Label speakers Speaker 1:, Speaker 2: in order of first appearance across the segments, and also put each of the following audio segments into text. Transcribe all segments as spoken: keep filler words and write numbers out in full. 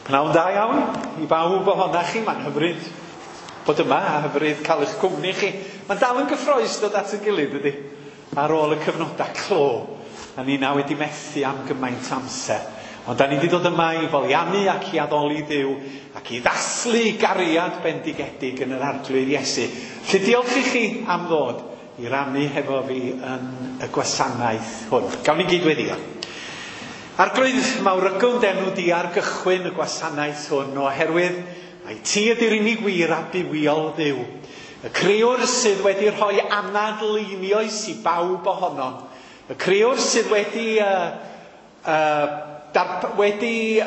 Speaker 1: Pnawn da iawn i bawb ohonoch chi. Mae'n hyfryd bod yma a hyfryd cael eich cwmni chi. Mae'n dal yn gyffrous dod at ein gilydd, ydy, ar ôl y cyfnodau clo. A ni na wedi methu am gymaint amser. Ond da ni wedi dod yma i foliannu ac i addoli Dduw ac i ddathlu gariad bendigedig yn yr Arglwydd Iesu. Felly diolch i chi am ddod i rannu hefo fi yn y gwasanaeth hwn. Gawn ni gyd weddio. Arglwydd, mawrygwn d'enw di ar gychwyn y gwasanaeth hwn, oherwydd mai ti ydy'r unig wir a bywiol Dduw. Y crëwr sydd wedi rhoi anadl einioes i bawb ohonom. Y crëwr sydd wedi, uh, uh, darp, wedi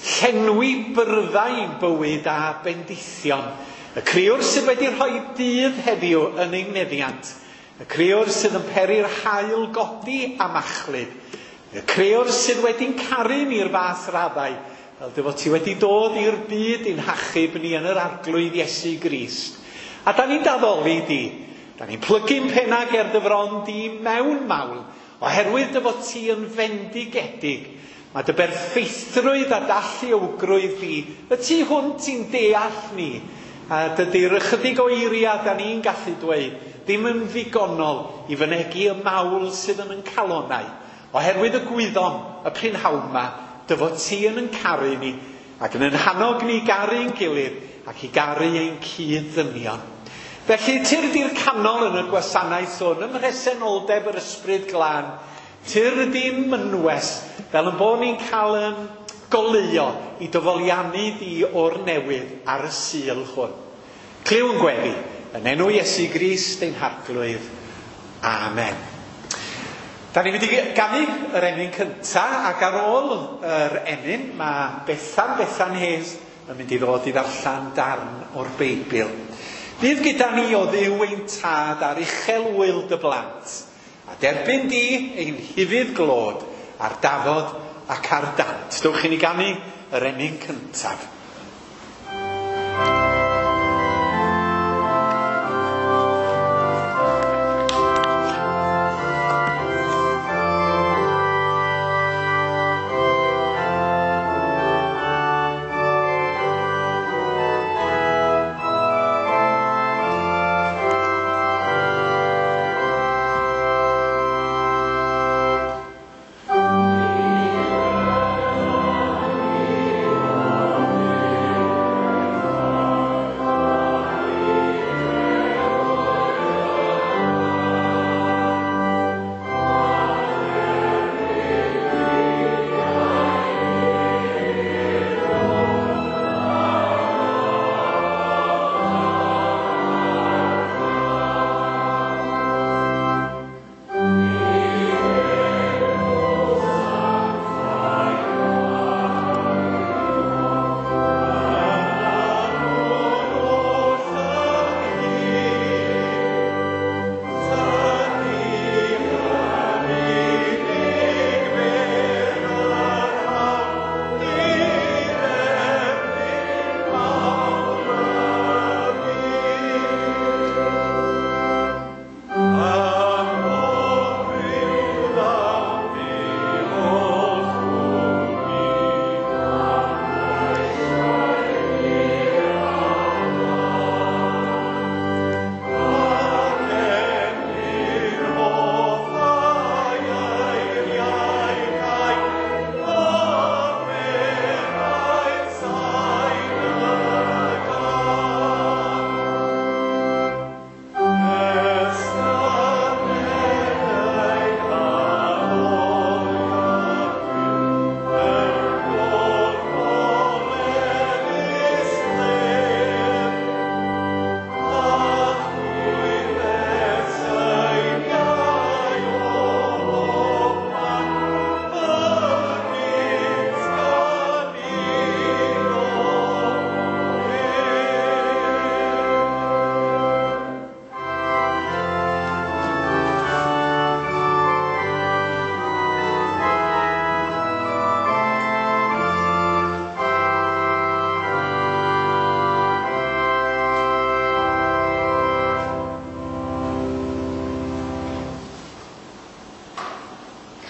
Speaker 1: llenwi byrddau i'n bywyd a bendithion. Y crëwr sydd wedi rhoi dydd heddiw yn ein meddiant. Y crëwr sydd yn peri'r haul godi a machlud. Y crëwr sydd wedi'n caru ni'r fath raddau, fel dy fod ti wedi dod i'r byd i'n hachub ni yn yr Arglwydd Iesu Grist. A da ni'n daddoli di, da ni'n plygu'n penna ger dy fron di mewn mawl, oherwydd dy fod ti yn fendigedig. Mae dy berffeithrwydd a dalluogrwydd di, y tu hwnt i'n deall ni, a dydy'r ychydig o eiriau da ni'n gallu dweud, ddim yn ddigonol i fynegi y mawl sydd yn yn calonnau. Oherwydd y gwyddom y prynhawn yma, dy fod ti yn yn caru ni, ac yn yn hannog ni garu'n gilydd, ac i garu ein cyd-ddynion. Felly, tyrd i'r canol yn y gwasanaeth hwn, ym mhresenoldeb yr Ysbryd Glân, tyrd i'n mynwes, fel yn bod ni'n cael yn goleuo i dyfoliannu di o'r newydd ar y Sul hwn. Clyw yn gweddi, yn enw Iesu Grist ein Harglwydd. Amen. Da ni'n mynd i ganu yr emyn cynta, ac ar ôl yr emyn mae Bethan, Bethan Hayes yn mynd i ddod i ddarllen darn o'r Beibl. Bydd gyda ni o Dduw ein tad ar uchel wyl dy blant, a derbyn di ein hufudd glod ar dafod ac ar dant. Dewch i ni ganu yr emyn cyntaf.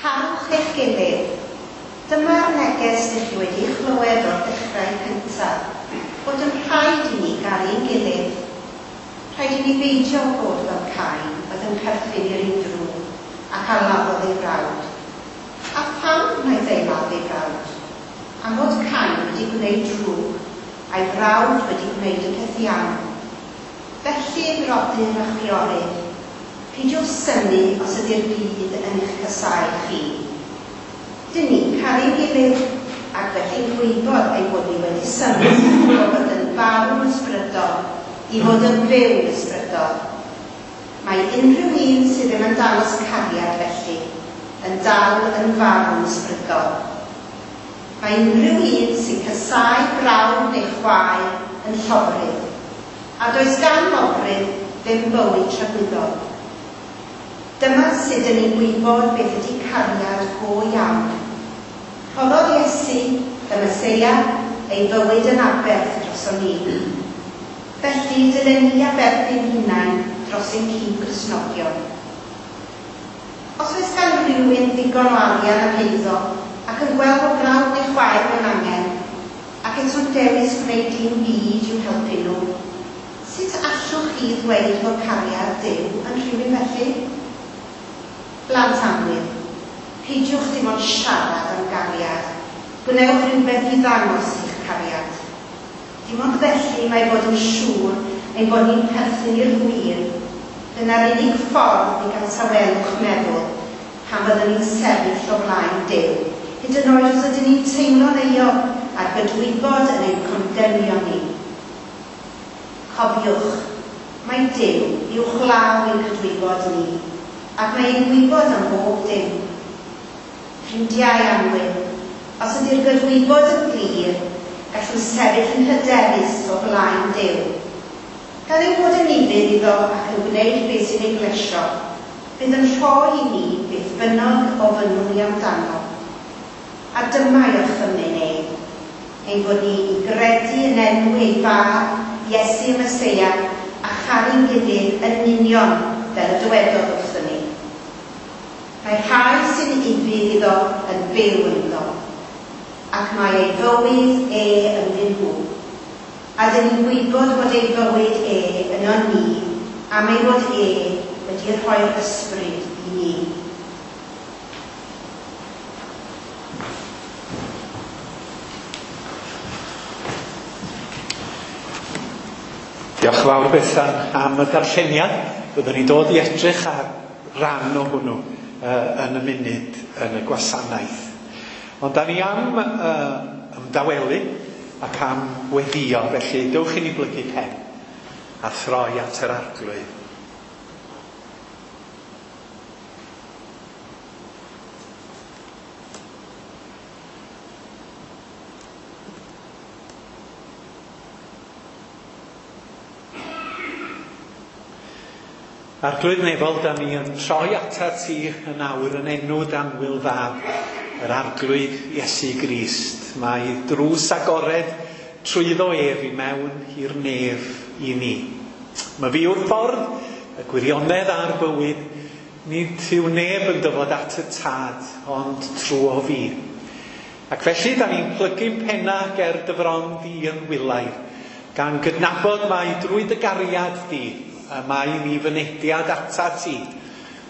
Speaker 2: Carwch eich gilydd. Dyma'r neges neges ydych chi wedi chlywed o'r dechrau cyntaf, bod yn rhaid i ni garu'n gilydd. Rhaid i ni beidio bod fel Cain, oedd yn perthyn i'r un drwg ac a laddodd ei frawd. A pham wnaeth ei ladd ei frawd? Am fod Cain wedi gwneud drwg, a'i frawd wedi gwneud y peth iawn. Felly, brodyr a chwiorydd, peidiwch synnu os ydy'r byd yn eich casáu chi. Dyn ni'n caru'n gilydd, ac felly'n gwybod ein bod ni wedi symud o fod yn farw'n ysbrydol i fod yn fyw'n ysbrydol. Mae unrhyw un sydd ddim yn dangos cariad felly yn dal yn farw'n ysbrydol. Mae unrhyw un sy'n casáu brawd neu chwaer yn llofrudd, a does gan lofrudd ddim bywyd tragwyddol. Dyma sut ydyn ni'n gwybod beth ydy cariad go iawn. Rhoddodd Iesu, y Meseia, ei fywyd yn aberth droson ni. Felly, dylen ni aberthu'n hunain dros ein cyd-Gristnogion. Os oes gan rhywun ddigon o arian am eiddo ac yn gweld bod brawd neu chwaer mewn angen, ac eto'n dewis gwneud dim byd i'w helpu nhw, sut allwch chi ddweud fod cariad Duw yn rhywun felly? Blant annwyl, peidiwch dim ond siarad am gariad, gwnewch rhywbeth i ddangos eich cariad. Dim ond felly mae bod yn siŵr ein bod ni'n perthyn i'r gwir. Dyna'r unig ffordd i gael tawelwch meddwl pan fyddwn ni'n sefyll o flaen Duw, hyd yn oed os ydyn ni'n teimlo'n euog a'r gydwybod yn ein condemnio ni. Cofiwch, mae Duw uwchlaw ein cydwybod ni, ac mae e'n gwybod am bob dim. Ffrindiau annwyl, os ydy'r gydwybod yn glir, gallwn sefyll yn hyderus o flaen Duw. Gan ein bod yn ufudd iddo ac yn gwneud beth sy'n ei blesio, bydd yn rhoi i ni beth bynnag ofynnwn ni amdano. A dyma ei orchymyn e, ein bod ni i gredu yn enw ei fab, Iesu y Meseia, a charu'n gilydd yn union fel y dywedodd wrthon ni. Mae rhai sy'n ufudd iddo yn byw ynddo, ac mae ei fywyd e ynddyn nhw. A dyn ni'n gwybod bod ei fywyd e yno ni, am ei fod e wedi rhoi'r ysbryd i ni.
Speaker 1: Diolch yn fawr Bethan am y darlleniad. Byddwn ni'n dod i edrych ar ran o hwnnw uh, yn y munud yn y gwasanaeth. Ond da ni am uh, ymdawelu ac am weddio, felly dewch i ni blygu pen a throi at yr Arglwydd. Arglwydd nefol, da ni yn troi atat ti yn awr yn enw d'annwyl fab, yr Arglwydd Iesu Grist. Mae drws agored trwyddo ef i mewn i'r nef i ni. Mae fi yw'r ffordd, y gwirionedd a'r bywyd. Nid yw neb yn dyfod at y tad, ond trwy fi. Ac felly, da ni'n plygu'n penna ger dy fron di yn wylaidd, gan gydnabod mai drwy dy gariad di, y mae ni fynediad atat ti,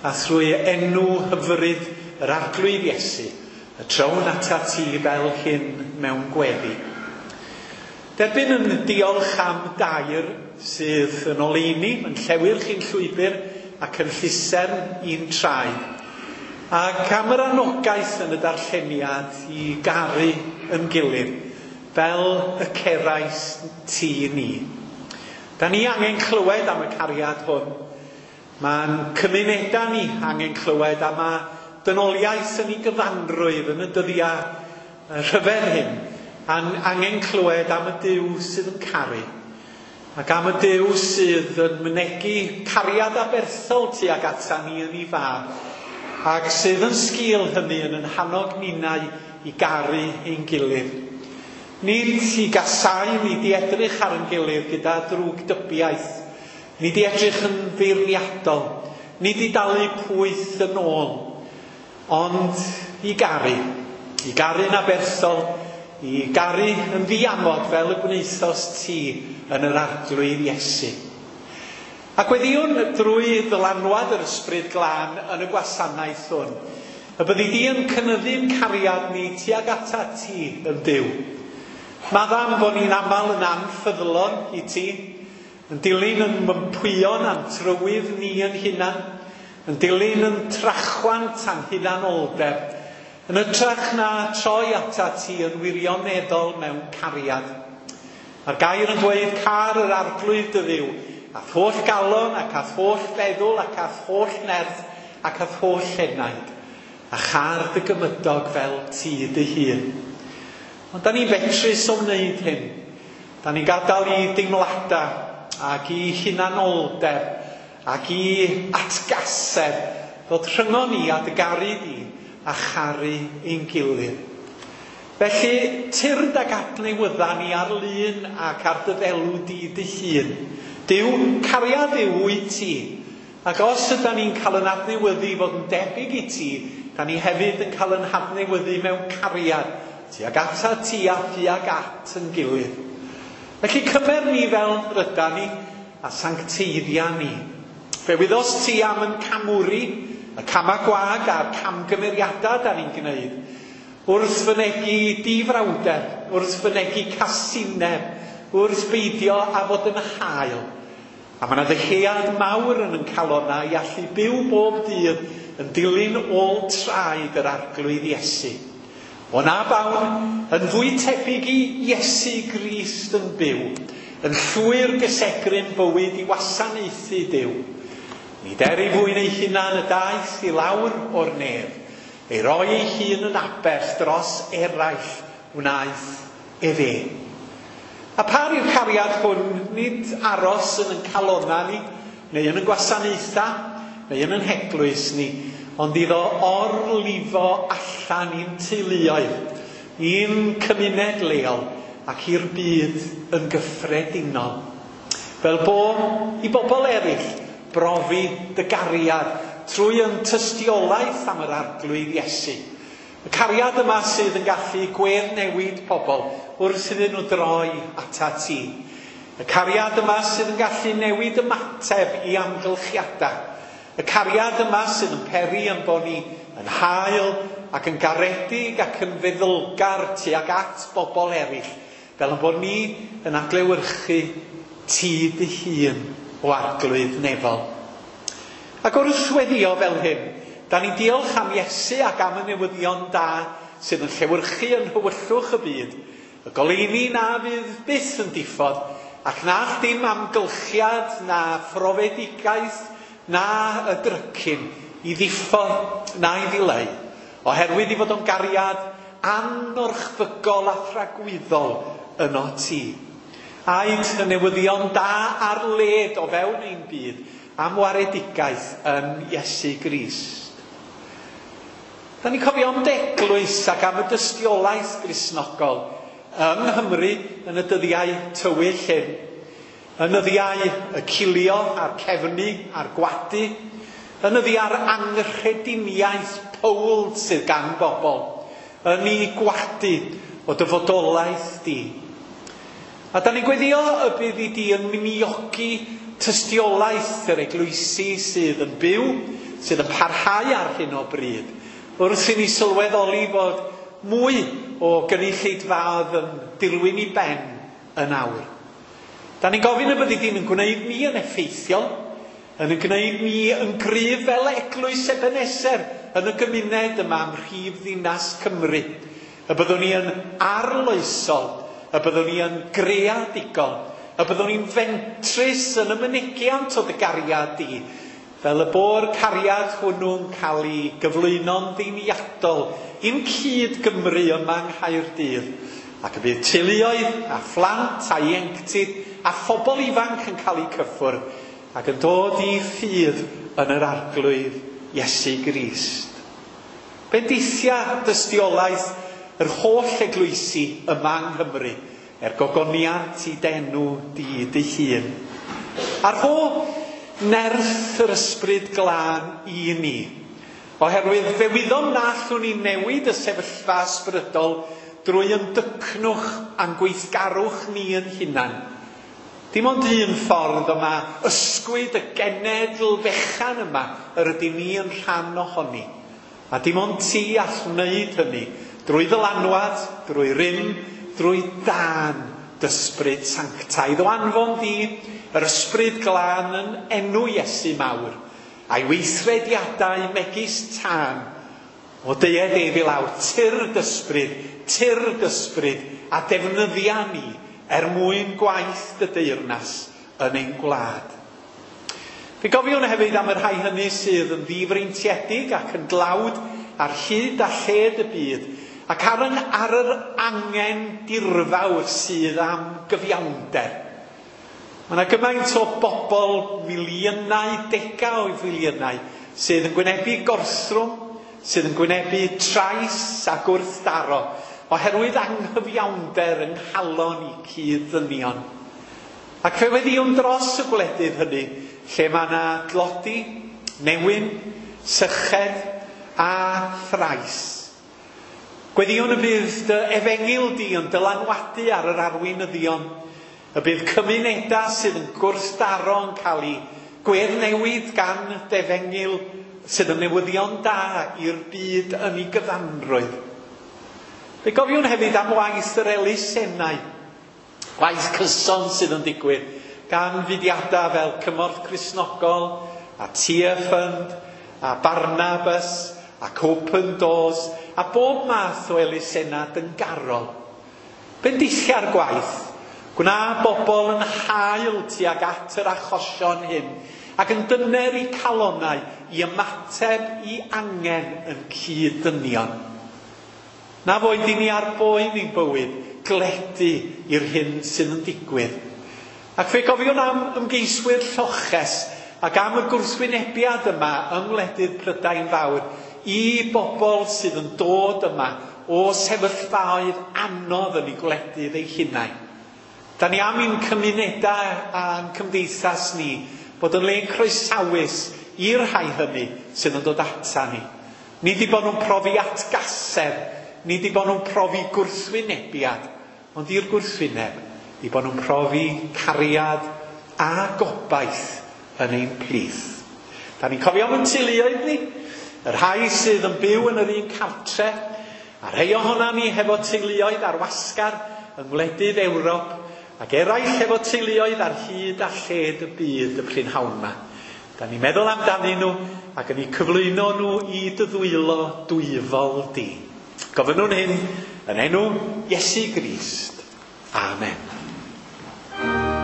Speaker 1: a thrwy enw hyfryd yr Arglwydd Iesu, y trown atat ti fel hyn mewn gweddi. Derbyn yn diolch am dair sydd yn oleuni, yn llewyrch i'n llwybr ac yn llusern i'n traed, ac am yr anogaeth yn y darlleniad i garu yn gilydd, fel y cerais ti ni. Da ni angen clywed am y cariad hwn. Mae'n cymunedau ni angen clywed, a mae dynoliaeth yn ei gyfanrwydd yn y dyddiau rhyfedd hyn. An angen clywed am y Duw sydd yn caru, ac am y Duw sydd yn mynegi cariad aberthol tuag ata ni yn ei fab, ac sydd yn sgil hynny yn yn hannog ninnau i garu ein gilydd. Nid i gasau, nid i edrych ar ein gilydd gyda drwg dybiaeth, nid i edrych yn feirniadol, nid i dalu pwyth yn ôl, ond i garu, I garu'n aberthol, i garu yn ddiamod fel y gwnaethost ti yn yr Arglwydd Iesu. Ac weddiwn drwy ddylanwad yr Ysbryd Glân yn y gwasanaeth hwn, y byddi di yn cynyddu'n cariad ni tuag atat ti yn Duw. Maddam bod ni'n aml yn anffyddlon i ti, yn dilyn yn mympwyon a'n trywydd ni yn hunan, yn dilyn yn trachwant a'n hunanoldeb, yn hytrach na troi atat ti yn wirioneddol mewn cariad. Mae'r gair yn dweud car yr Arglwydd dy Dduw, a'th holl galon ac a'th holl feddwl ac a'th holl nerth ac a'th holl enaid, a char dy gymydog fel ti dy hun. Ond da ni'n betrus o wneud hyn. Da ni'n gadael i deimladau ac i hunanoldeb ac i atgasedd ddod rhyngon ni a dy garu di a charu ein gilydd. Felly, tyrd ag adnewydda ni ar lun ac ar dy ddelw di dy hun. Duw, cariad yw wyt ti. Ac os ydan ni'n cael yn adnewyddu i fod yn debyg i ti, da ni hefyd yn cael yn hadnewyddu mewn cariad, tuag ata ti a thuag at yn gilydd. Felly cymer ni fel rydan ni a sancteiddia ni. Fe wyddost ti am yn camwri, y cama gwag a'r camgymeriadau da ni'n gwneud, wrth fynegi difrawder, wrth fynegi casineb, wrth beidio a fod yn hael. A mae yna ddyhead mawr yn yn calonna i allu byw bob dydd yn dilyn ôl traed yr Arglwydd Iesu. O na bawn yn fwy tebyg i Iesu Grist yn byw, yn llwyr gysegru'n bywyd i wasanaethu Duw. Nid er ei fwyn ei hunan y daeth i lawr o'r nef, ei roi ei hun yn aberth dros eraill wnaeth efe. A par i'r cariad hwn nid aros yn yn calonna ni, neu yn yn gwasanaethau, neu yn yn heglwys ni, ond iddo orlifo allan i'n teuluoedd, i'n cymuned leol ac i'r byd yn gyffredinol. Fel bo i bobl eraill brofi dy gariad trwy yn tystiolaeth am yr Arglwydd Iesu. Y cariad yma sydd yn gallu gweddnewid pobl wrth iddyn nhw droi atat ti. Y cariad yma sydd yn gallu newid ymateb i amgylchiadau. Y cariad yma sydd yn peri yn bod ni yn hael ac yn garedig ac yn feddylgar tuag at bobl eraill, fel yn bod ni yn adlewyrchu ti dy hun o Arglwydd nefol. Ac wrth weddio fel hyn, da ni'n diolch am Iesu ac am y newyddion da sydd yn llewyrchu yn nhywyllwch y byd, y goleuni na fydd byth yn diffodd, ac na all dim amgylchiad na phrofedigaeth na y drycin i ddiffodd na i ddileu, oherwydd i fod o'n gariad anorchfygol a thragwyddol yno ti. Aed y newyddion da ar led o fewn ein byd am waredigaeth yn Iesu Grist. Da ni'n cofio am d'eglwys ac am y dystiolaeth Gristnogol yng Nghymru yn y dyddiau tywyll hyn, yn nyddiau y cilio a'r cefnu a'r gwadu, yn nyddiau'r anghrediniaeth powl sydd gan bobl, yn ei gwadu o dyfodolaeth di. A da ni'n gweddio y bydd i di yn miniogi tystiolaeth yr eglwysi sydd yn byw, sydd yn parhau ar hyn o bryd, wrth i ni sylweddoli fod mwy o gynulleidfaoedd yn dirwyn i ben yn awr. Da ni'n gofyn y byddi di'n gwneud ni yn effeithiol, yn yn gwneud ni yn gryf fel eglwys Ebeneser yn y gymuned yma ym mhrif ddinas Cymru. Y byddwn ni yn arloesol, y byddwn ni yn greadigol, y byddwn ni'n fentrus yn y mynegiant o dy gariad di, fel y bo'r cariad hwnnw'n cael ei gyflwyno'n ddiniadol i'n cyd Gymru yma yng Nghaerdydd, ac y bydd teuluoedd a phlant a ieuenctid a phobl ifanc yn cael eu cyffwrdd ac yn dod i ffydd yn yr Arglwydd Iesu Grist. Bendithia dystiolaeth yr holl eglwysi yma yng Nghymru, er gogoniant i d'enw di dy hun. A rho nerth yr Ysbryd Glân i ni, Oherwydd fe wyddom na allwn ni newid y sefyllfa ysbrydol drwy ymdycnwch a'n gweithgarwch ni yn hunan. Dim ond un ffordd yma ysgwyd y genedl fechan yma yr ydym ni yn rhan ohoni. A dim ond ti all wneud hynny drwy ddylanwad, drwy rym, drwy dân d'ysbryd sanctaidd. O anfon di yr ysbryd glân yn enw Iesu mawr, a'i weithrediadau megis tân, o deued ef i lawr, tyrd ysbryd, tyrd ysbryd, a defnyddia ni er mwyn gwaith dy deyrnas yn ein gwlad. Fe gofiwn hefyd am y rhai hynny sydd yn ddifreintiedig ac yn dlawd ar hyd a lled y byd, ac ar, yn, ar yr angen dirfawr sydd am gyfiawnder. Mae yna gymaint o bobl, miliynau, degau o filiynau, sydd yn gwynebu gorthrwm, sydd yn gwynebu trais a gwrthdaro, oherwydd anghyfiawnder yng nghalon i cyd-ddynion. Ac fe weddïwn dros y gwledydd hynny, lle mae yna dlodi, newyn, syched a thrais. Gweddïwn y bydd dy efengyl di yn dylanwadu ar yr arweinyddion, y bydd cymunedau sydd yn gwrthdaro yn cael eu gweddnewid gan defengyl sydd yn newyddion da i'r byd yn ei gyfanrwydd. Fe gofiwn hefyd am waith yr elusennau, gwaith cyson sydd yn digwydd gan fudiadau fel Cymorth Cristnogol a Tear Fund a Barnabas ac Open Doors a bob math o elusennau dyngarol. Bendithia'r gwaith, gwna bobl yn hael tuag at yr achosion hyn ac yn dyner eu calonnau i ymateb i angen yn cyd-ddynion. Na foed i ni ar boen i'n bywyd gledu i'r hyn sydd yn digwydd. Ac fe gofiwn am ymgeiswyr lloches ac am y gwrthwynebiad yma yng ngwledydd Prydain Fawr i bobl sydd yn dod yma o sefyllfaoedd anodd yn eu gwledydd eu hunain. Da ni am i'n cymunedau a'n cymdeithas ni bod yn le croesawus i'r rhai hynny sydd yn dod ata ni. Nid i bod nhw'n profi atgasedd, nid i bod nhw'n profi gwrthwynebiad, ond i'r gwrthwyneb, i bod nhw'n profi cariad a gobaith yn ein plith. Da ni'n cofio am ein teuluoedd ni, y rhai sydd yn byw yn yr un cartre, a rhai ohona ni hefo teuluoedd ar wasgar yng ngwledydd Ewrop, ac eraill hefo teuluoedd ar hyd a lled y byd y prynhawn yma. Da ni'n meddwl amdanyn nhw ac yn eu cyflwyno nhw i dy ddwylo dwyfol di. Gofynnwn hyn yn enw Iesu Grist. Amen.
Speaker 3: Amen.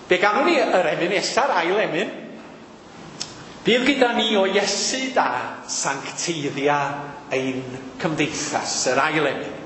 Speaker 1: Fe ganwn ni yr emyn nesa'r ail emyn. Bydd gyda ni o Iesu da sancteiddia ein cymdeithas, yr ail emyn.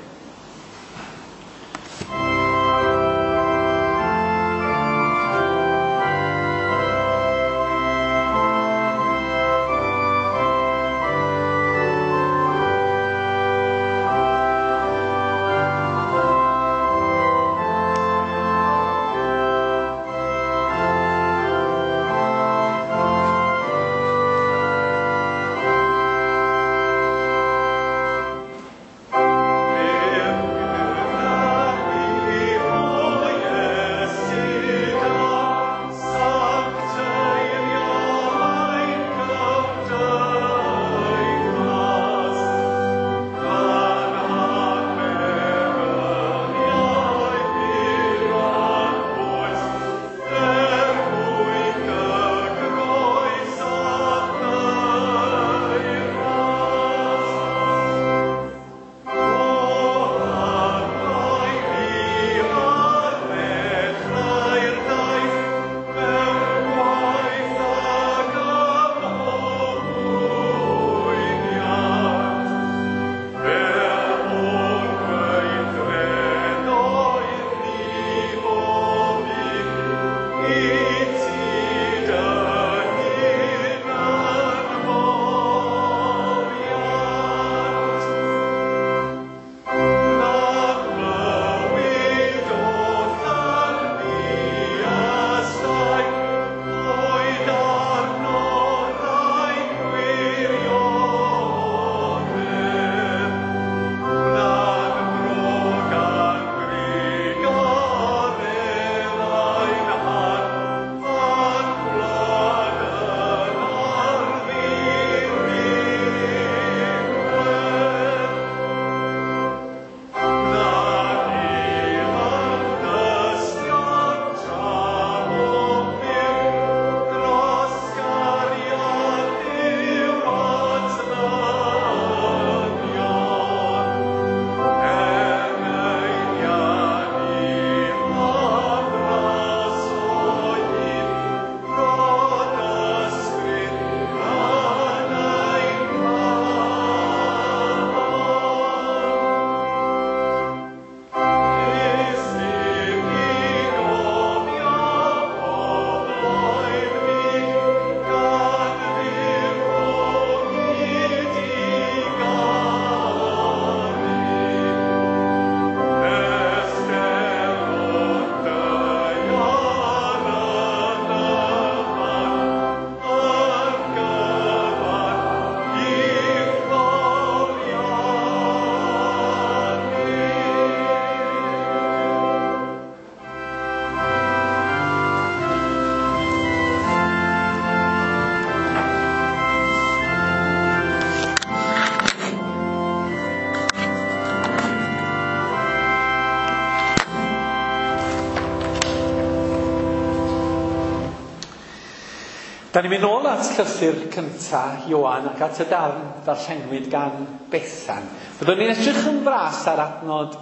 Speaker 1: Da ni'n mynd nôl at llythyr cynta Ioan ac at y darn ddarllenwyd gan Bethan. Byddwn ni'n edrych yn fras ar adnod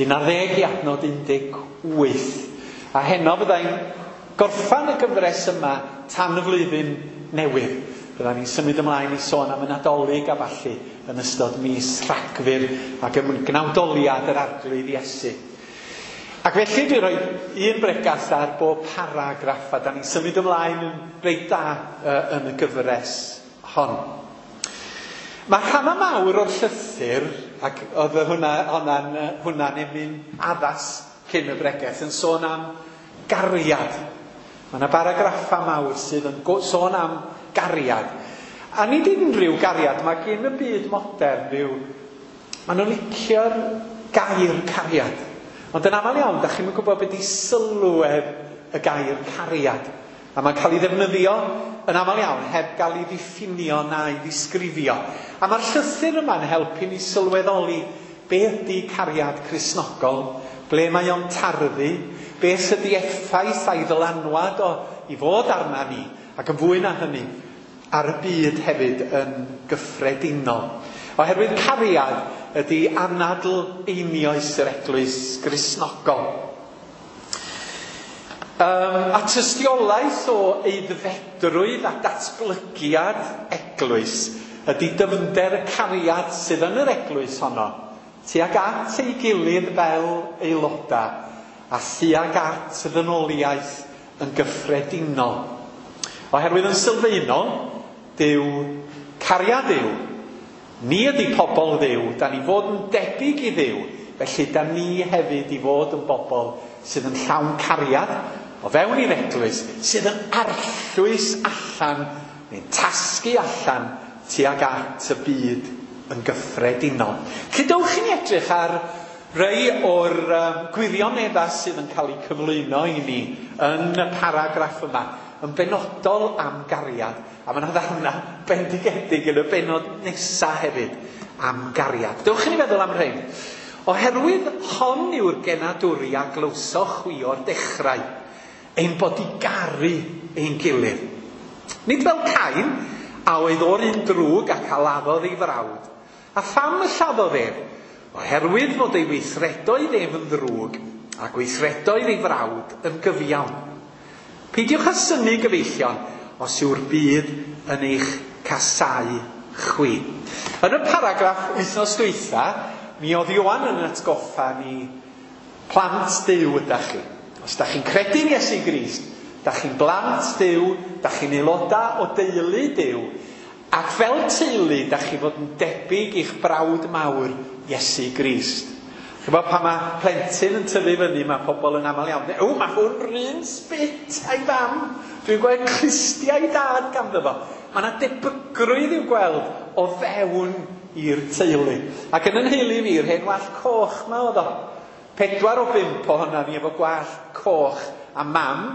Speaker 1: un ar ddeg i adnod un deg wyth. A heno byddai'n gorffan y gyfres yma tan y flwyddyn newydd. Byddwn ni'n symud ymlaen i sôn am y Nadolig a ballu yn ystod mis Rhagfyr ac yn gnawdoliad yr Arglwydd Iesu. Ac felly dwi rhoi un bregath ar bob paragraff a da ni'n symud ymlaen yn reit da uh, yn y gyfres hon. Mae rhannau mawr o'r llythyr, ac oedd hwnna, hwnna'n, hwnna'n emyn addas cyn y bregeth, yn sôn am gariad. Mae yna baragraffau mawr sydd yn sôn am gariad. A nid unrhyw gariad, mae gen y byd modern rhyw, maen nhw'n licio'r gair cariad. Ond yn aml iawn, da chi'm yn gwybod beth i sylwedd y gair cariad. A mae'n cael ei ddefnyddio yn aml iawn heb gael ei ddiffinio na'i ddisgrifio. A mae'r llythyr yma'n helpu ni sylweddoli be ydy cariad Cristnogol, ble mae o'n tarddu, beth ydy effaith a'i ddylanwad o i fod arna ni, ac yn fwy na hynny, ar y byd hefyd yn gyffredinol. Oherwydd cariad ydy anadl einioes yr eglwys Gristnogol. Um, a tystiolaeth o aeddfedrwydd a datblygiad eglwys ydy dyfnder y cariad sydd yn yr eglwys honno, tuag at ei gilydd fel aelodau a thuag at ddynoliaeth yn gyffredinol. Oherwydd yn sylfaenol, Duw, cariad Duw, ni ydy pobl Dduw, da ni fod yn debyg i Dduw, felly da ni hefyd i fod yn bobl sydd yn llawn cariad o fewn i'r eglwys, sydd yn arllwys allan, neu'n tasgu allan tuag at y byd yn gyffredinol. Felly dowch i ni edrych ar rei o'r um, gwirioneddau sydd yn cael eu cyflwyno i ni yn y paragraff yma, yn benodol am gariad. A mae yna ddarna bendigedig yn y bennod nesaf hefyd am gariad. Dewch i ni feddwl am rhain. Oherwydd hon yw'r genadwri a glywsoch chwi o'r dechrau, ein bod i garu ein gilydd. Nid fel Cain, a oedd o'r un drwg ac a laddodd ei frawd. A pham y lladdodd ef? Oherwydd fod ei weithredoedd ef yn ddrwg, a gweithredoedd ei frawd yn gyfiawn. Peidiwch â synnu, gyfeillion, os yw'r byd yn eich casáu chwi. Yn y paragraff wythnos dwytha, mi oedd Ioan yn atgoffa ni plant Duw ydach chi. Os dach chi'n credu'n Iesu Grist, dach chi'n blant Duw, dach chi'n aelodau o deulu Duw, ac fel teulu dach chi fod yn debyg i'ch brawd mawr Iesu Grist. Chybod, pan mae plentyn yn tyfu fyny, mae pobl yn aml iawn. O, mae hwn run sbit a'i fam. Dwi'n gweld clustiau dad ganddo fo. Mae yna debygrwydd i'w gweld o fewn i'r teulu. Ac yn yn nheulu fi, yr hen wallt coch ma oedd o. Pedwar o bump ohona ni efo gwallt coch, a mam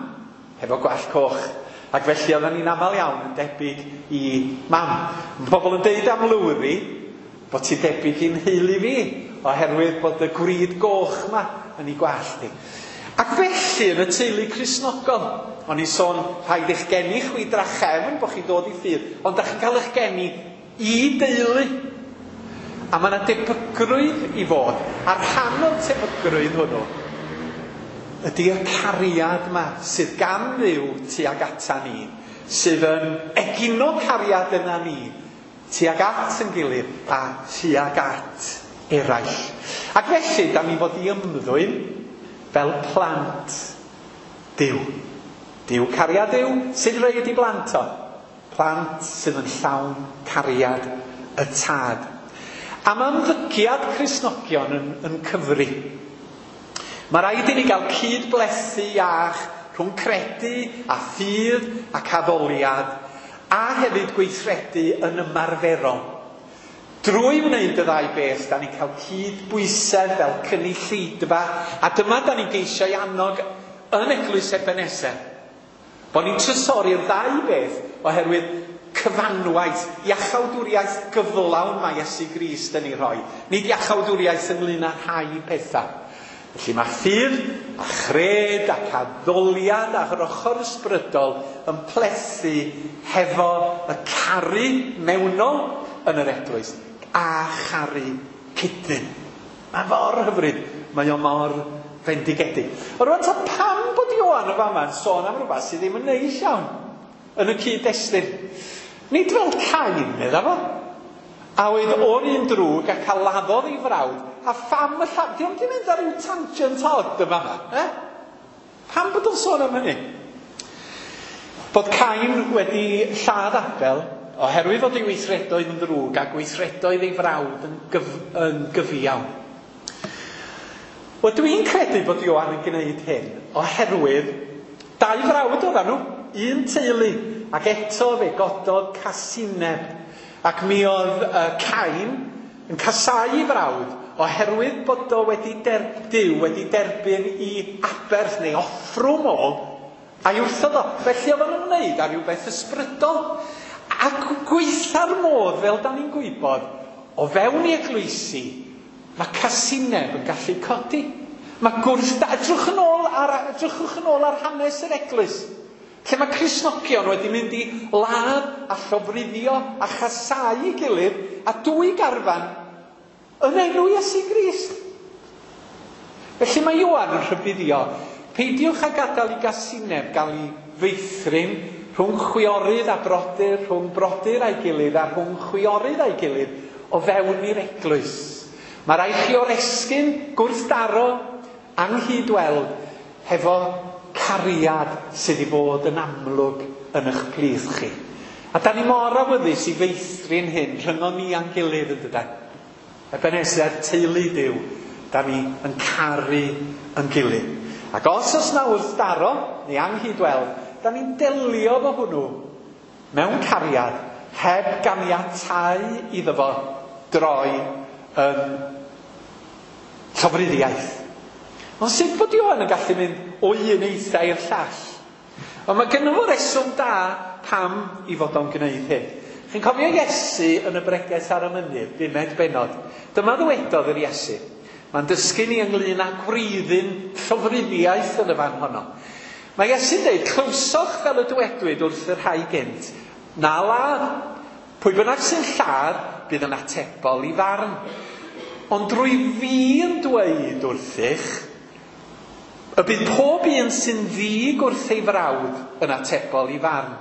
Speaker 1: hefo gwallt coch. Ac felly oedden ni'n aml iawn yn debyg i mam. Mae pobl yn deud am Lowri bod ti'n debyg i'n nheulu fi, oherwydd bod y gwrid goch ma yn ei gwallt hi. Ac felly yn y teulu Cristnogol, o'n i'n sôn rhaid eich geni chwi drachefn bod chi'n dod i ffydd, ond da chi'n cael eich geni i deulu. A mae yna debygrwydd i fod, a rhan o'r tebygrwydd hwnnw ydy y cariad yma sydd gan Dduw tuag ata ni, sydd yn egino cariad yna ni, tuag at yn gilydd a tuag at eraill. Ac felly, da ni fod i ymddwyn fel plant Duw. Duw cariad Duw sydd reid i blant o. Plant sydd yn llawn cariad y tad. A mae ymddygiad Cristnogion yn, yn cyfri. Mae rhaid i ni gael cydblethu iach rhwng credu a ffydd ac addoliad, a hefyd gweithredu yn ymarferol. Drwy wneud y ddau beth, da ni'n cael cydbwysedd fel cynulleidfa, a dyma da ni'n geisio i annog yn Eglwys Ebeneser. Bod ni'n trysori'r ddau beth oherwydd cyfanwaith, iachawdwriaeth gyflawn mae Iesu Grist yn ei rhoi. Nid iachawdwriaeth ynglyn â rhai pethau. Felly mae ffydd a chred ac addoliad a'r ochr ysbrydol yn plethu hefo y caru mewnol yn yr eglwys a charu cydyn. Mae mor hyfryd, mae o mor fendigedig. Ond rwan ta pam bod Ioan y fama'n sôn am rhywbeth sydd ddim yn neis iawn yn y cyd-destun? Nid fel Cain, medda fo, a oedd o'r un drwg ac a laddodd ei frawd, a pham y lladd... Dio'm di mynd ar ryw tangent odd yma yma, eh? Pam bod o'n sôn am hynny? Bod Cain wedi lladd Abel, oherwydd fod ei weithredoedd yn ddrwg a gweithredoedd ei frawd yn, gyf, yn gyfiawn. Wel, dwi'n credu bod Ioan yn gwneud hyn, oherwydd dau frawd oedden nhw, un teulu, ac eto fe gododd casineb. Ac mi oedd uh, Cain yn casáu ei frawd oherwydd bod o wedi der, Duw wedi derbyn i aberth neu offrwm o a'i wrthod o. Felly oedd o'n ymwneud â rhywbeth ysbrydol. Ac gweitha'r modd, fel da ni'n gwybod, o fewn i eglwysi, mae casineb yn gallu codi. Mae gwrth... Edrychwch yn ôl ar, edrychwch yn ôl ar hanes yr eglwys. Lle mae Cristnogion wedi mynd i ladd a llofruddio a chasáu ei gilydd a dwy garfan yn enw Iesu Grist. Felly mae Ioan yn rhybuddio, Peidiwch â gadael i gasineb gael ei feithrin rhwng chwiorydd a brodyr, rhwng brodyr a'i gilydd a rhwng chwiorydd a'i gilydd o fewn i'r eglwys. Mae rhaid chi oresgyn gwrthdaro anghydweld hefo cariad sydd i fod yn amlwg yn eich plith chi. A da ni mor awyddus i feithrin hyn rhyngon ni a'n gilydd yn dydan. Ebenezer, teulu Duw, da ni yn caru yn gilydd. Ac os oes na wrthdaro neu anghydweld, da ni'n delio efo hwnnw mewn cariad heb ganiatáu iddo fo droi yn llofruddiaeth. Ond sut bod Ioan yn gallu mynd o un eitha i'r llall? Ond mae gynno fo reswm da pam i fod o'n gwneud hyn. Chi'n cofio Iesu yn y bregeth ar y mynydd, bumed bennod. Dyma ddywedodd yr Iesu. Mae'n dysgu ni ynglyn â gwreiddyn llofruddiaeth yn y fan honno. Mae Iesu'n dweud, clywsoch fel y dywedwyd wrth y rhai gynt, na ladd. Pwy bynnag sy'n lladd, bydd yn atebol i farn. Ond drwy fi yn dweud wrthych, y bydd pob un sy'n ddig wrth ei frawd yn atebol i farn.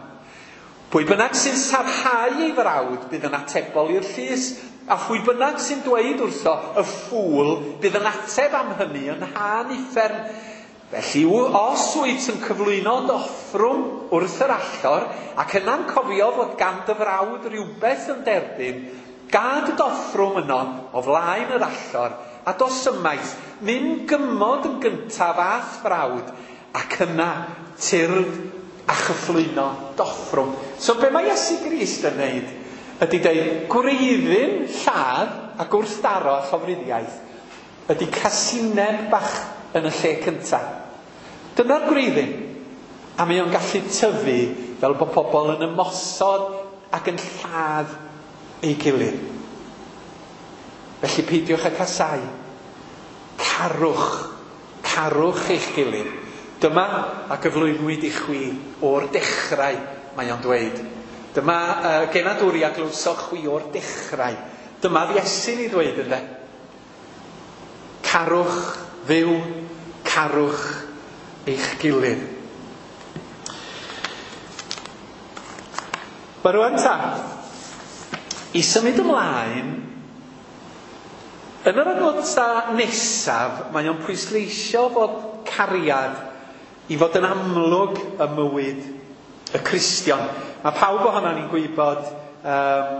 Speaker 1: Pwy bynnag sy'n sarhau ei frawd bydd yn atebol i'r llys, a phwy bynnag sy'n dweud wrtho y ffŵl bydd yn ateb am hynny yn thân uffern. Felly, os wyt yn cyflwyno dy offrwm wrth yr allor, ac yna'n cofio fod gan dy frawd rhywbeth yn derbyn, gad dy offrwm yno o flaen yr allor, a dos ymaith, mynd gymod yn gyntaf a'th frawd, ac yna tyrd a chyflwyno dy offrwm. So be mae Iesu Grist yn neud ydy deud gwreiddyn lladd a gwrthdaro a llofruddiaeth ydy casineb bach yn y lle cyntaf. Dyna'r gwreiddyn. A mae o'n gallu tyfu fel bod pobl yn ymosod ac yn lladd ei gilydd. Felly peidiwch â casau. Carwch. Carwch eich gilydd. Dyma a gyflwynwyd i chwi o'r dechrau, mae o'n dweud. Dyma uh, genadwri a glywsoch chwi o'r dechrau. Dyma Iesu'n ei ddweud ynde. Carwch Dduw, carwch eich gilydd. Wel rwan ta, i symud ymlaen, yn yr adnodau nesaf, mae o'n pwysleisio fod cariad i fod yn amlwg ym mywyd y Cristion. Mae pawb ohono ni'n gwybod um,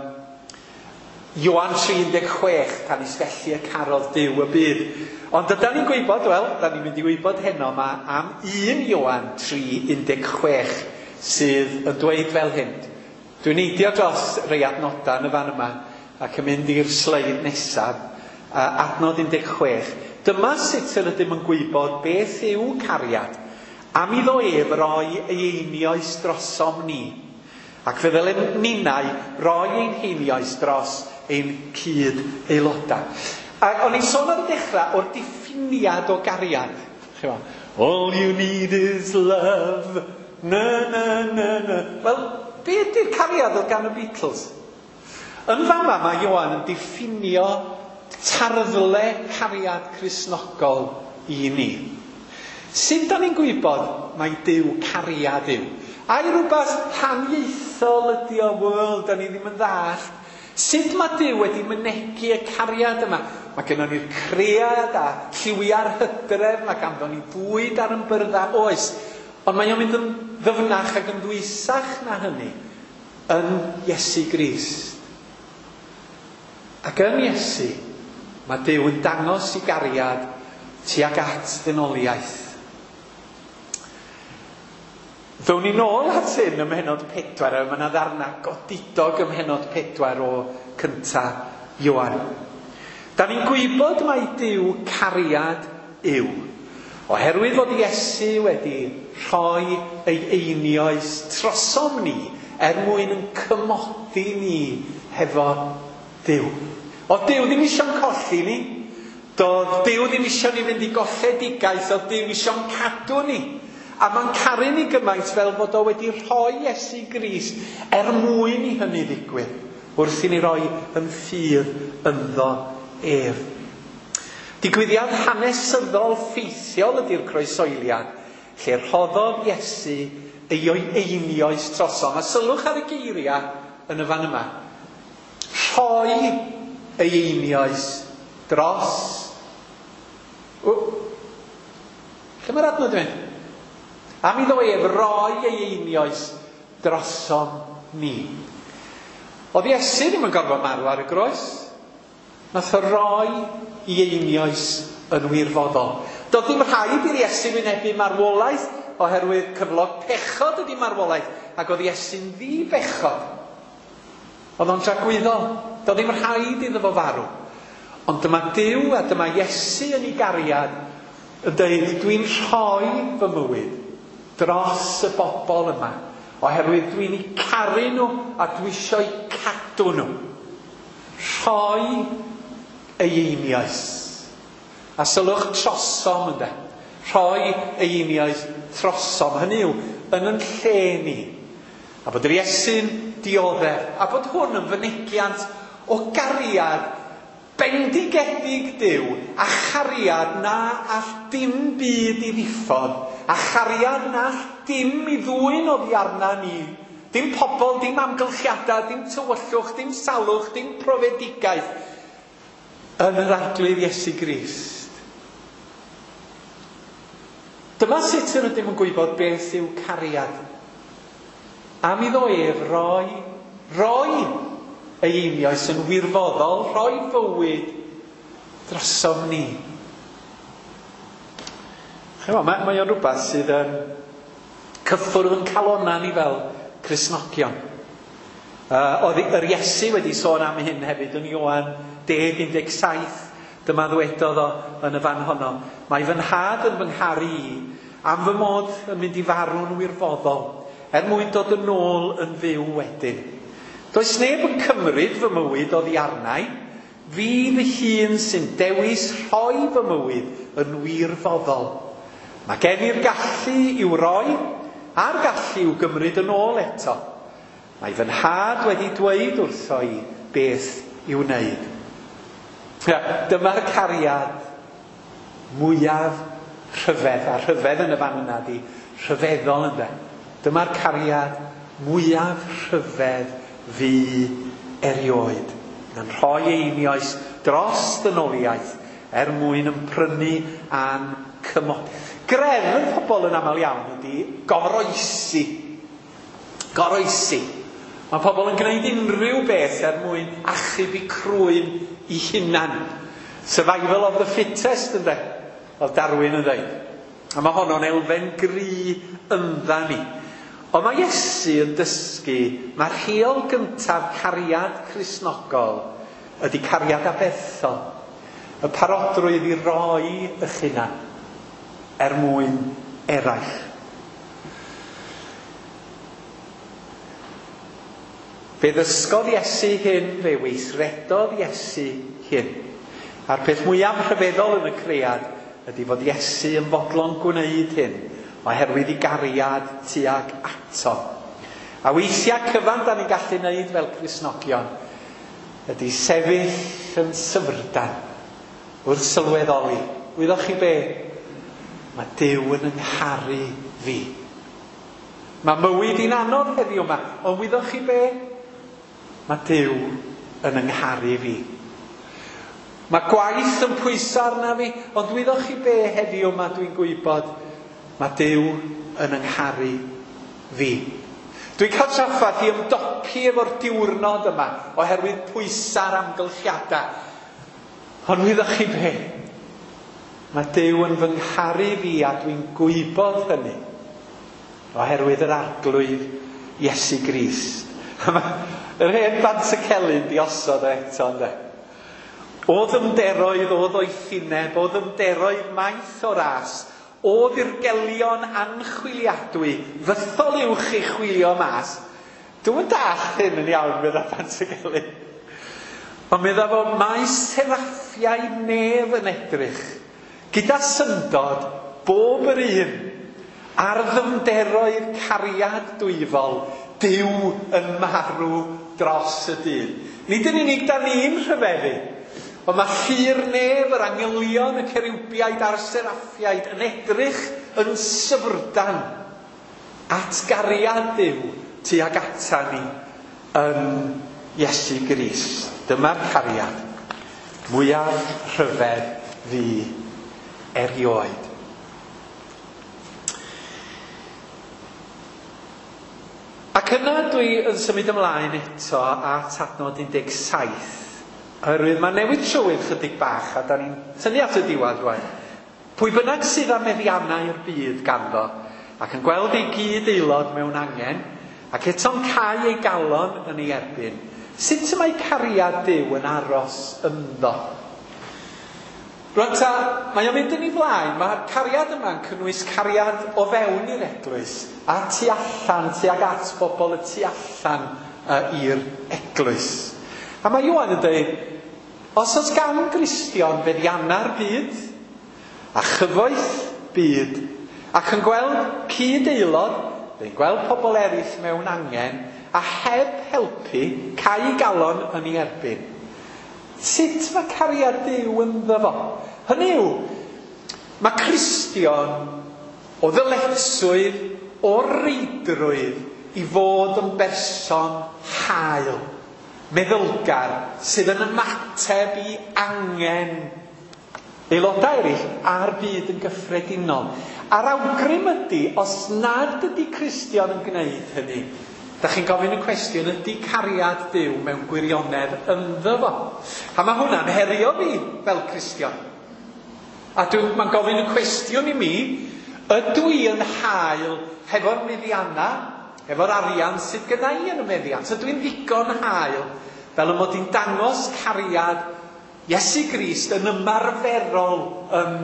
Speaker 1: Ioan tri un deg chwech, canys felly y carodd Duw y byd. Ond ydan ni'n gwybod, wel, da ni'n mynd i wybod heno yma am un Ioan tri un deg chwech sydd yn dweud fel hyn. Dwi'n neidio dros rei adnodau yn y fan yma ac yn mynd i'r sleid nesaf, adnod un deg chwech. Dyma sut yr ydym yn gwybod beth yw cariad, am iddo ef roi ei einioes drosom ni. Ac fe ddylen ninnau roi ein heinioes dros ein cyd aelodau. A o'n i'n sôn ar y dechrau o'r diffiniad o gariad. All you need is love. Na, na, na, na. Wel, be ydy'r cariad oedd gan y Beatles? Yn fama mae Ioan yn diffinio tarddle cariad Cristnogol i ni. Sut da ni'n gwybod mai Duw cariad yw? Ai rhywbeth haniaethol ydy o, wel, da ni ddim yn ddallt. Sut mae Duw wedi mynegi y cariad yma? Mae gennon ni'r cread a lliwiau'r hydref, mae ganddo ni fwyd ar yn byrddau, oes. Ond mae o'n mynd yn ddyfnach ac yn ddwysach na hynny yn Iesu Grist. Ac yn Iesu, mae Duw yn dangos i gariad tuag at ddynoliaeth. Ddown ni nôl at hyn ym mhennod pedwar, a mae yna ddarna godidog ym mhennod pedwar o cynta Ioan. Da ni'n gwybod mai Duw cariad yw, oherwydd fod Iesu wedi rhoi ei einioes trosom ni er mwyn yn cymodi ni hefo Duw. Oedd Duw ddim eisiau'n colli ni, doedd Duw ddim eisiau ni fynd i golledigaeth, oedd Duw eisiau'n cadw ni. A mae'n caru ni gymaint fel fod o wedi rhoi Iesu Grist er mwyn i hynny ddigwydd, wrth i ni roi yn ffydd ynddo ef. Digwyddiad hanesyddol ffeithiol ydy'r croesoeliad, lle rhoddodd Iesu ei einioes trosom. A sylwch ar y geiriau yn y fan yma. Rhoi ei einioes dros. O, lle mae'r adnod yn mynd? Am iddo ef roi ei einioes drosom ni. Oedd Iesu ddim yn gorfod marw ar y groes. Nath o roi ei einioes yn wirfoddol. Doedd ddim rhaid i'r Iesu wynebu marwolaeth oherwydd cyflog pechod ydy marwolaeth, ac oedd Iesu'n ddi-bechod. Oedd o'n tragwyddol. Doedd ddim rhaid iddo fo farw. Ond dyma Duw a dyma Iesu yn ei gariad yn dweud, dwi'n rhoi fy mywyd dros y bobl yma, oherwydd dwi'n eu caru nhw a dwi eisiau cadw nhw. Rhoi ei einioes. A sylwch trosom ynde. Rhoi ei einioes trosom. Hynny yw, yn yn lle ni. A bod yr Iesu'n dioddef. A bod hwn yn fynegiant o gariad bendigedig Duw a chariad na all dim byd i ddiffodd. A chariad na all dim i ddwyn oddi arna ni. Dim pobl, dim amgylchiadau, dim tywyllwch, dim salwch, dim profedigaeth. Yn yr Arglwydd Iesu Grist. Dyma sut yr ydym yn gwybod beth yw cariad. Am iddo ef roi, roi ei einioes yn wirfoddol, rhoi fywyd drosom ni. Chymod, mae, mae o'n rhywbeth sydd yn cyffwrdd yn calonna ni fel Cristnogion. Uh, oedd yr Iesu wedi sôn am hyn hefyd yn Ioan deg un deg saith. Dyma ddwedodd o yn y fan honno. Mae fy nhad yn fy ngharu i am fy mod yn mynd i farw'n wirfoddol, er mwyn dod yn ôl yn fyw wedyn. Does neb yn cymryd fy mywyd oddi arnau. Fi fy hun sy'n dewis rhoi fy mywyd yn wirfoddol. Mae gen i'r gallu i'w roi a'r gallu i'w gymryd yn ôl eto. Mae fy nhad wedi dweud wrtho i beth i'w wneud. Ja, dyma'r cariad mwyaf rhyfedd, a rhyfedd yn y fan yna di rhyfeddol ynde. Dyma'r cariad mwyaf rhyfedd fu erioed. Yn rhoi einioes dros ddynoliaeth er mwyn yn prynu a'n cymod. Grefdd pobl yn aml iawn ydy goroesi. Goroesi. Mae pobl yn gwneud unrhyw beth er mwyn achub eu crwyn i hunan. Survival of the fittest, ynde? Oedd Darwin yn dweud. A mae honno'n elfen gry yndda ni. Ond mae Iesu yn dysgu, mae'r rheol gyntaf cariad Cristnogol ydy cariad aberthol. Y parodrwydd i roi eich hunan er mwyn eraill. Fe ddysgodd Iesu hyn, fe weithredodd Iesu hyn. A'r peth mwyaf rhyfeddol yn y cread ydy fod Iesu yn fodlon gwneud hyn, oherwydd ei gariad tuag ato. A weithiau cyfan da ni'n gallu wneud fel Cristnogion ydy sefyll yn syfrdan wrth sylweddoli. Wyddoch chi be? Mae Duw yn yngharu fi. Mae mywyd i'n anodd heddiw yma, ond wyddoch chi be? Mae Duw yn yngharu fi. Mae gwaith yn pwyso arna fi, ond wyddoch chi be heddiw yma dwi'n gwybod? Mae Duw yn yngharu fi. Dwi'n cael trafferth i ymdopi efo'r diwrnod yma oherwydd pwysa'r amgylchiadau. Ond wyddoch chi be? Mae Duw yn fy ngharu fi a dwi'n gwybod hynny oherwydd yr Arglwydd Iesu Grist. Yr hen Bant y Celyn di osod o eto, ynde? O ddyfnderoedd, o ddoethineb, o ddyfnderoedd maith o ras, o ddirgelion anchwiliadwy, fythol uwch i chwilio mas. Dwi'm yn dallt hyn yn iawn, medda Bant y Celyn. Ond medda fo, mae seraffiau nef yn edrych, gyda syndod, bob yr un, ar ddyfnderoedd cariad dwyfol, Duw yn marw dros y dyn. Nid yn unig da ni'n rhyfeddu, ond mae llu'r nef, yr angylion, y ceriwbiaid a'r seraffiaid yn edrych yn syfrdan at gariad Duw tuag ata ni yn Iesu Grist. Dyma'r cariad mwyaf rhyfedd fi erioed. Ac yna dwi yn symud ymlaen eto at adnod un deg saith. Oherwydd mae newid trywydd chydig bach a da ni'n tynnu at y diwedd rwan. Pwy bynnag sydd â meddiannau'r byd ganddo ac yn gweld ei gyd aelod mewn angen ac eto'n cau ei galon yn ei erbyn, sut y mae cariad Duw yn aros ynddo? Rwan ta, mae o'n mynd yn ei flaen, mae'r cariad yma'n cynnwys cariad o fewn i'r eglwys a tu allan, tuag at bobl y tu allan uh, i'r eglwys. A mae Ioan yn dweud, os oes gan Gristion feddianna'r byd a chyfoeth byd ac yn gweld cyd-aelod, neu'n gweld pobl eraill mewn angen a heb helpu, cau ei galon yn ei erbyn. Sut mae cariad Duw ynddo fo? Hynny yw, mae Cristion o ddyletswydd, o reidrwydd i fod yn berson hael, meddylgar, sydd yn ymateb i angen aelodau eraill a'r byd yn gyffredinol. A'r awgrym ydy, os nad ydy Cristion yn gwneud hynny, da chi'n gofyn y cwestiwn, ydy cariad Duw mewn gwirionedd ynddo fo? A mae hwnna'n herio fi fel Cristion. A mae'n gofyn y cwestiwn i mi, ydw i yn hael hefo'r meddiannau, hefo'r arian sydd gyda i yn y meddiant? Ydw i'n ddigon hael fel y mod i'n dangos cariad Iesu Grist yn ymarferol yn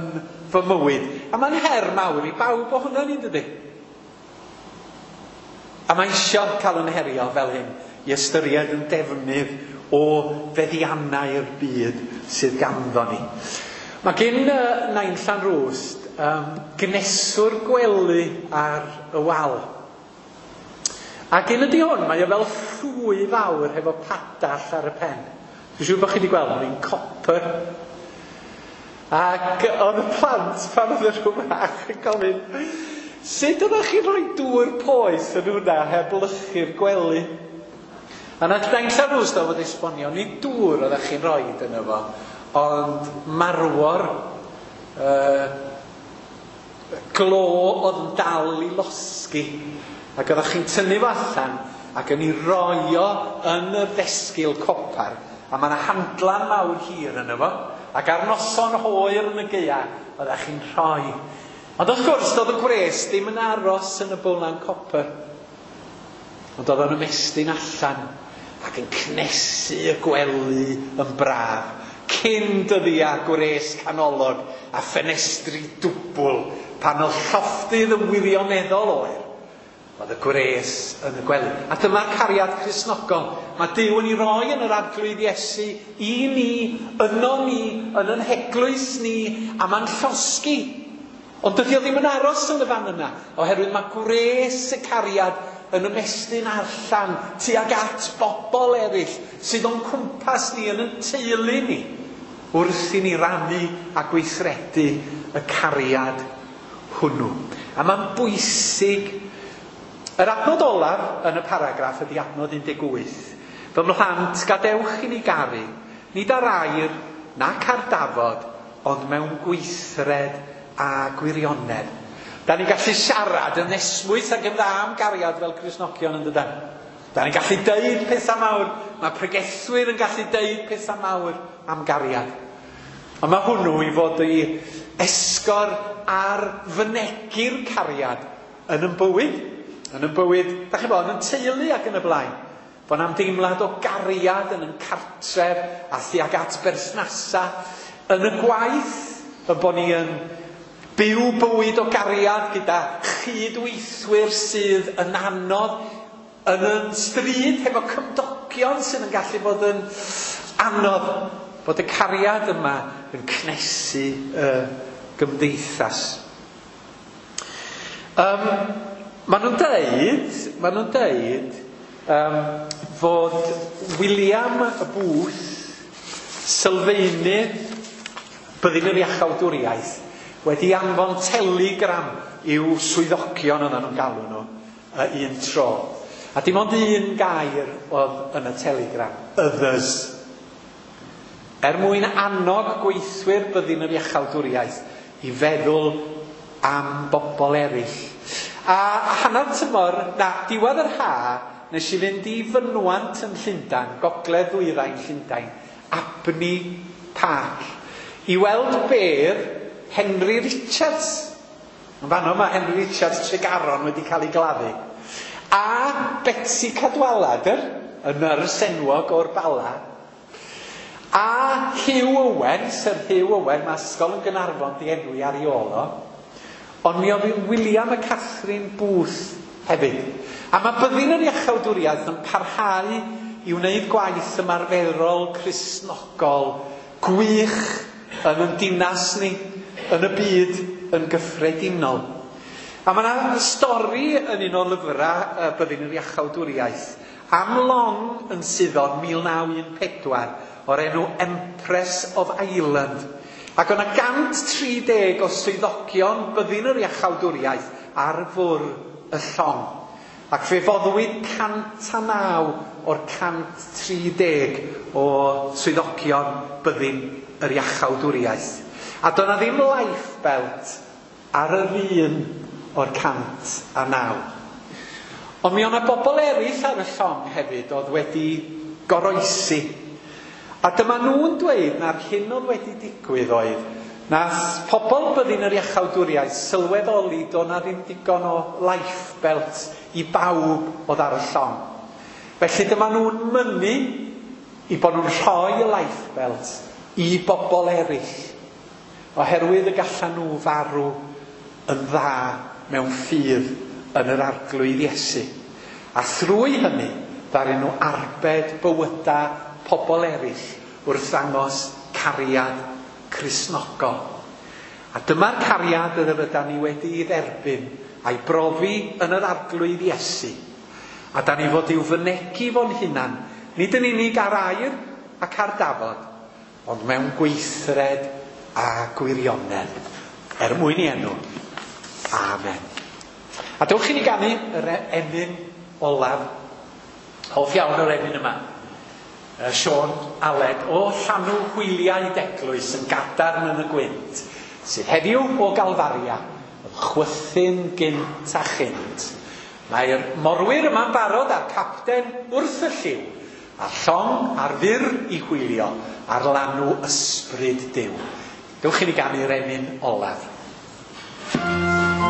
Speaker 1: fy mywyd? A mae'n her mawr i bawb o hwnna ni'n dydy? A mae isio cael yn herio fel hyn i ystyried yn defnydd o feddiannau'r byd sydd ganddo ni. Mae gen uh, Nain Llanrwst um, gneswr gwely ar y wal. Ac un ydy hwn, mae o fel llwy fawr hefo padall ar y pen. Dwi'n siŵr bod chi wedi gweld, mae'n copper. Ac oedd y plant pan oedd y rhyw fach yn gofyn, sut oeddech chi'n rhoi dŵr poeth yn hwnna heb lychu'r gwely? A nath Nain Llanrwst o fod esbonio, nid dŵr oeddech chi'n rhoi yno fo, ond marwor, uh, glo oedd yn dal i losgi. Ac oeddech chi'n tynnu fo allan ac yn ei roi o yn y ddesgil copar. A mae yna handlan mawr hir yno fo. Ac ar noson hwyr yn y gaea, oeddech chi'n rhoi. Ond wrth gwrs, doedd y gwres ddim yn aros yn y bowlan copr. Ond oedd o'n ymestyn allan ac yn cnesu y gwely yn braf. Cyn dyddiau gwres canolog a ffenestri dwbl pan oedd llofftydd yn wirioneddol oer. Oedd y gwres yn y gwely. A dyma'r cariad Cristnogol. Mae Duw yn ei roi yn yr Arglwydd Iesu i ni, yno ni, yn yn heglwys ni, a mae'n llosgi. Ond dydy o ddim yn aros yn y fan yna, oherwydd mae gwres y cariad yn ymestyn allan tuag at bobl eraill sydd o'n cwmpas ni yn yn teulu ni, wrth i ni rannu a gweithredu y cariad hwnnw. A mae'n bwysig. Yr adnod olaf yn y paragraff ydy adnod un deg wyth. Fy mhlant, gadewch i ni garu, nid ar air nac ar dafod, ond mewn gweithred a gwirionedd. Da ni'n gallu siarad yn esmwyth ac yn dda am gariad fel Cristnogion yn dydan. Da ni'n gallu deud pethau mawr, mae pregethwyr yn gallu deud pethau mawr am gariad. Ond mae hwnnw i fod i esgor ar fynegi'r cariad yn yn bywyd. Yn y bywyd, da chi'n bod, yn teulu ac yn y blaen. Bod am deimlad o gariad yn yn cartref a thuag at berthnasa. Yn y gwaith, y bod ni yn byw bywyd o gariad gyda chydweithwyr sydd yn anodd, yn yn stryd hefo cymdogion sydd yn gallu bod yn anodd. Bod y cariad yma yn cnesu y gymdeithas. Um, Maen nhw'n deud, maen nhw'n deud um, fod William Booth, sylfaenydd Byddin yr Iachawdwriaeth, wedi anfon telegram i'w swyddogion oedden nhw'n galw nhw un tro. A dim ond un gair oedd yn y telegram, others. Er mwyn annog gweithwyr byddin yr iachawdwriaeth i feddwl am bobl eraill. A hanner tymor, na, diwedd yr ha, nes i fynd i fynwant yn Llundain, gogledd ddwyrain Llundain, Abney Park, i weld bedd Henry Richards. Yn fanno mae Henry Richards Tregaron wedi cael ei gladdu. A Betsi Cadwaladr, y nyrs enwog o'r Bala. A Hugh Owen, Sir Hugh Owen, mae ysgol yn Gaernarfon di enwi ar ei ôl o. Ond mi oedd William a Catherine Booth hefyd. A mae byddin yr iachawdwriaeth yn parhau i wneud gwaith ymarferol Cristnogol gwych yn ein dinas ni, yn y byd yn gyffredinol. A mae yna stori yn un o lyfrau byddin yr iachawdwriaeth am long yn suddo mil naw un pedwar o'r enw Empress of Ireland. Ac o'na gant tri deg o swyddogion byddin yr iachawdwriaeth ar fwrdd y llong. Ac fe foddwyd cant a naw o'r cant tri deg o swyddogion byddin yr iachawdwriaeth. A do'na ddim lifebelt ar yr un o'r cant a naw. Ond mi o'na bobl eraill ar y llong hefyd oedd wedi goroesi. A dyma nhw'n dweud na'r hyn oedd wedi digwydd oedd nath pobl byddin yr iachawdwriaeth sylweddoli do'na ddim digon o lifebelt i bawb oedd ar y llong. Felly dyma nhw'n mynnu i bod nhw'n rhoi y lifebelt i bobl eraill, oherwydd y gallan nhw farw yn dda mewn ffydd yn yr Arglwydd Iesu. A thrwy hynny, ddaru nhw arbed bywydau pobl eraill wrth ddangos cariad Cristnogol. A dyma'r cariad yr ydan ni wedi'i dderbyn a'i brofi yn yr Arglwydd Iesu. A da ni fod i'w fynegi fo'n hunan, nid yn unig ar air ac ar dafod, ond mewn gweithred a gwirionedd. Er mwyn i enw. Amen. A dewch i ni ganu yr emyn olaf. Hoff iawn o'r emyn yma. Siôn Aled o llanw hwyliau d'eglwys yn gadarn yn y gwynt, sydd heddiw o Galfaria, yn chwythu'n gynt a chynt. Mae'r morwyr yma'n barod a'r capten wrth y lliw, a'r llong ar fyr i hwylio ar lanw ysbryd Duw. Dewch i ni ganu'r emyn olaf.
Speaker 3: Gadarn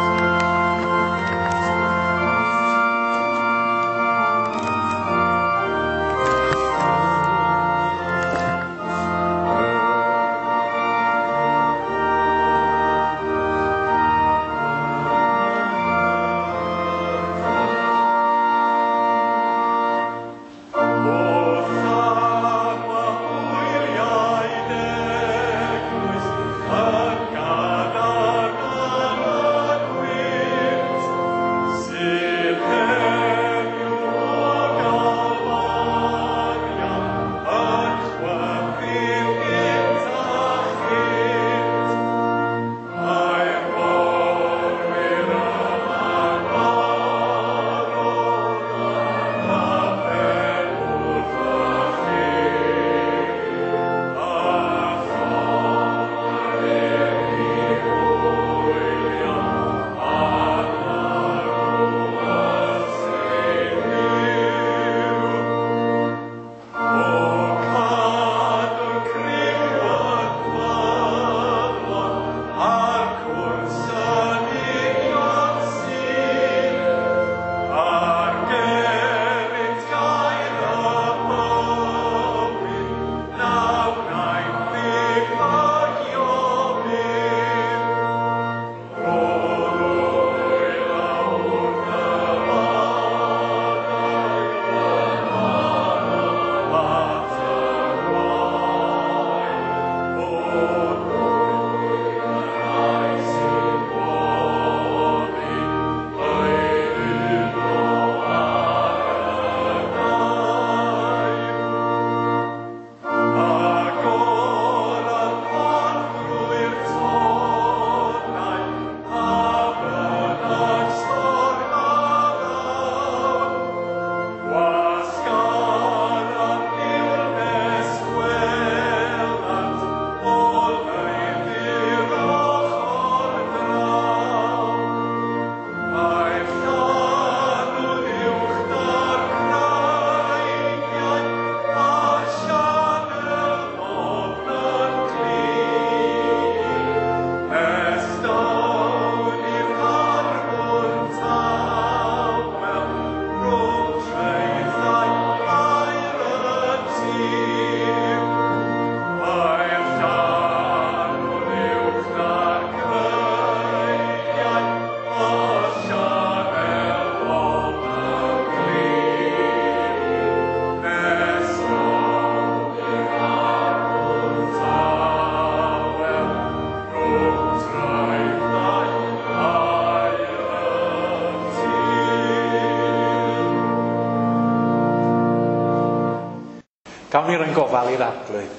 Speaker 1: Gawn ni roi'n gofal i'r Arglwydd.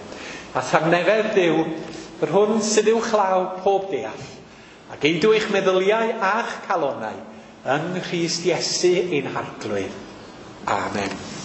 Speaker 1: A thangnefedd Duw, yr hwn sydd uwchlaw pob deall, a geidw eich meddyliau a'ch calonau yng Nghrist Iesu ein Harglwydd. Amen.